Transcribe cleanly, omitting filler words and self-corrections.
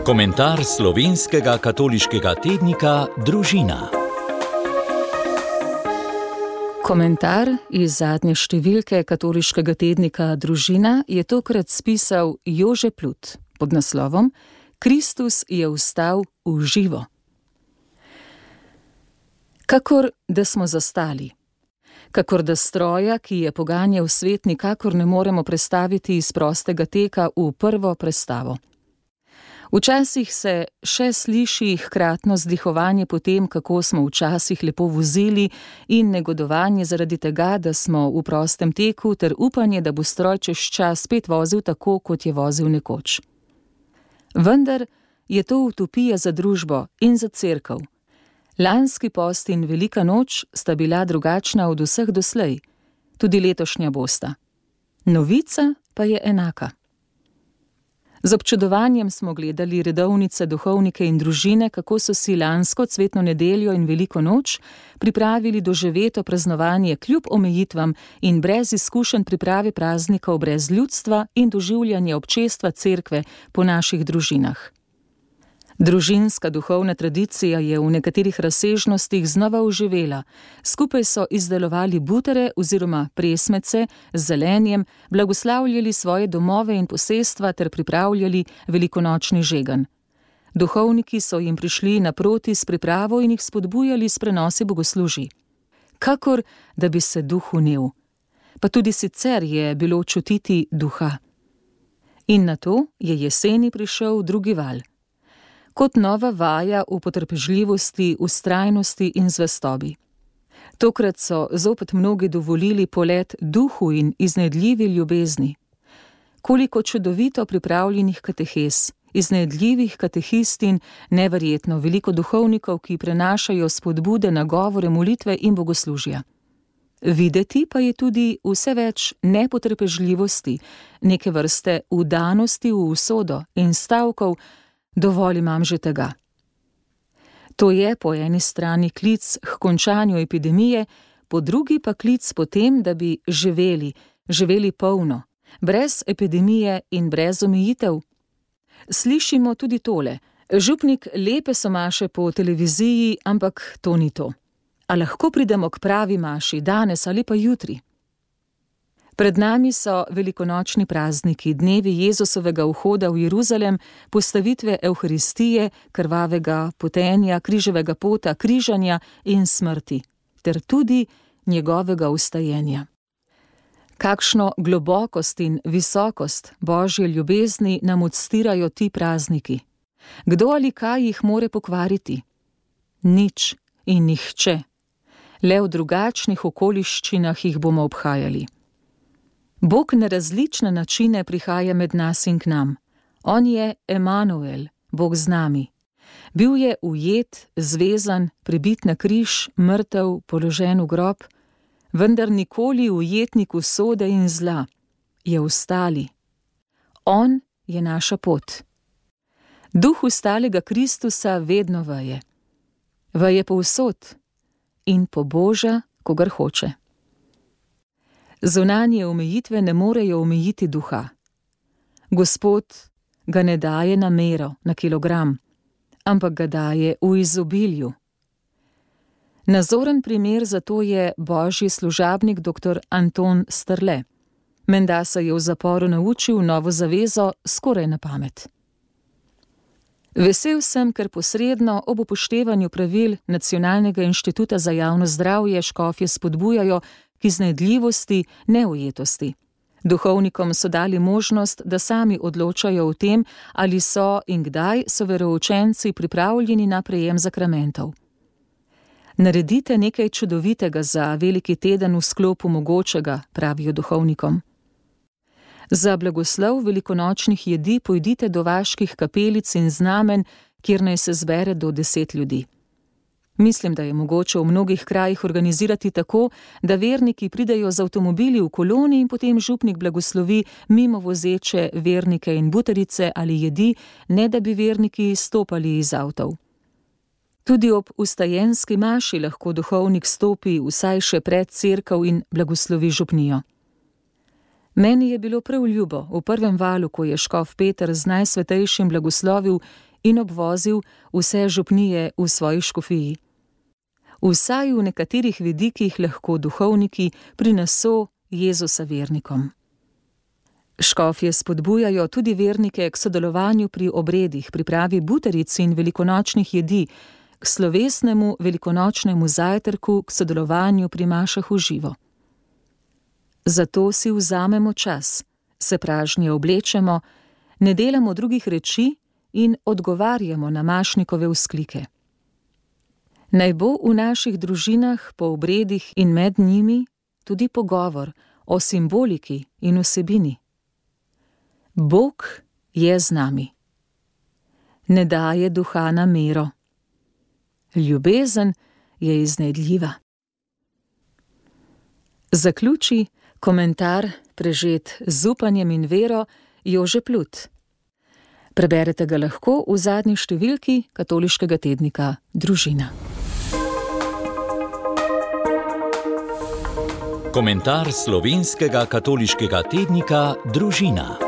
Komentar slovenskega katoliškega tednika Družina. Komentar iz zadnje številke katoliškega tednika Družina je tokrat spisal Jože Plut pod naslovom Kristus je vstal v živo. Kakor da smo zastali. Kakor da stroja, ki je poganjal svet, nikakor ne moremo prestaviti iz prostega teka v prvo prestavo. Včasih se še sliši hkratno vzdihovanje po tem, kako smo včasih lepo vozili, in negodovanje zaradi tega, da smo v prostem teku, ter upanje, da bo stroj čez čas spet vozil tako, kot je vozil nekoč. Vendar je to utopija za družbo in za cerkev. Lanski post in velika noč sta bila drugačna od vseh doslej, tudi letošnja bosta. Novica pa je enaka. Z občudovanjem smo gledali redovnice, duhovnike in družine, kako so si lansko cvetno nedeljo in veliko noč pripravili doživeto praznovanje kljub omejitvam in brez izkušenj priprave praznikov, brez ljudstva in doživljanja občestva cerkve po naših družinah. Družinska duhovna tradicija je v nekaterih razsežnostih znova oživela. Skupaj so izdelovali butere oziroma presmece z zelenjem, blagoslavljali svoje domove in posestva ter pripravljali velikonočni žegen. Duhovniki so jim prišli naproti s pripravo in jih spodbujali s prenosi bogoslužij. Kakor da bi se duh unel. Pa tudi sicer je bilo čutiti duha. In nato je jeseni prišel drugi val. Kot nova vaja v potrpežljivosti, vztrajnosti in zvestobi. Tokrat so zopet mnogi dovolili polet duhu in iznajdljivi ljubezni. Koliko čudovito pripravljenih katehes, iznajdljivih katehistin, neverjetno veliko duhovnikov, ki prenašajo spodbude, nagovore, molitve in bogoslužja. Videti pa je tudi vse več nepotrpežljivosti, neke vrste vdanosti v usodo in stavkov, dovolj imam že tega. To je po eni strani klic k končanju epidemije, po drugi pa klic po tem, da bi živeli polno, brez epidemije in brez omejitev. Slišimo tudi tole, župnik lepe so maše po televiziji, ampak to ni to. A lahko pridemo k pravi maši danes ali pa jutri? Pred nami so velikonočni prazniki, dnevi Jezusovega vhoda v Jeruzalem, postavitve Evharistije, krvavega potenja, križevega pota, križanja in smrti, ter tudi njegovega vstajenja. Kakšno globokost in visokost Božje ljubezni nam odstirajo ti prazniki. Kdo ali kaj jih more pokvariti? Nič in nihče. Le v drugačnih okoliščinah jih bomo obhajali. Bog na različne načine prihaja med nas in k nam. On je Emanuel, Bog z nami. Bil je ujet, zvezan, pribit na križ, mrtev, položen v grob, vendar nikoli ujetnik usode in zla. Je vstali. On je naša pot. Duh vstalega Kristusa vedno veje. Veje povsod in poboža, kogar hoče. Zunanje omejitve ne morejo omejiti duha. Gospod ga ne daje na mero, na kilogram, ampak ga daje v izobilju. Nazoren primer za to je božji služabnik dr. Anton Strle. Menda se je v zaporu naučil novo zavezo skoraj na pamet. Vesel sem, ker posredno ob upoštevanju pravil Nacionalnega inštituta za javno zdravje škofje spodbujajo k iznajdljivosti, neujetosti. Duhovnikom so dali možnost, da sami odločajo o tem, ali so in kdaj so veroučenci pripravljeni na prejem zakramentov. Naredite nekaj čudovitega za veliki teden v sklopu mogočega, pravijo duhovnikom. Za blagoslov velikonočnih jedi pojdite do vaških kapelic in znamen, kjer naj se zbere do 10 ljudi. Mislim, da je mogoče v mnogih krajih organizirati tako, da verniki pridejo z avtomobili v koloni in potem župnik blagoslovi mimo vozeče vernike in butarice ali jedi, ne da bi verniki stopali iz avtov. Tudi ob vstajenski maši lahko duhovnik stopi vsaj še pred cerkev in blagoslovi župnijo. Meni je bilo prav ljubo v prvem valu, ko je škof Peter z Najsvetejšim blagoslovil in obvozil vse župnije v svoji škofiji. Vsaj v nekaterih vidikih lahko duhovniki prineso Jezusa vernikom. Škofje spodbujajo tudi vernike k sodelovanju pri obredih, pripravi butaric in velikonočnih jedi, k slovesnemu velikonočnemu zajtrku, k sodelovanju pri mašah v živo. Zato si vzamemo čas, se pražnje oblečemo, ne delamo drugih reči in odgovarjamo na mašnikove vzklike. Naj bo v naših družinah po obredih in med njimi tudi pogovor o simboliki in vsebini. Bog je z nami. Ne daje duha na mero. Ljubezen je iznajdljiva. Zaključi komentar, prežet z upanjem in vero, Jože Plut. Preberete ga lahko v zadnji številki katoliškega tednika Družina. Komentar slovenskega katoliškega tednika Družina.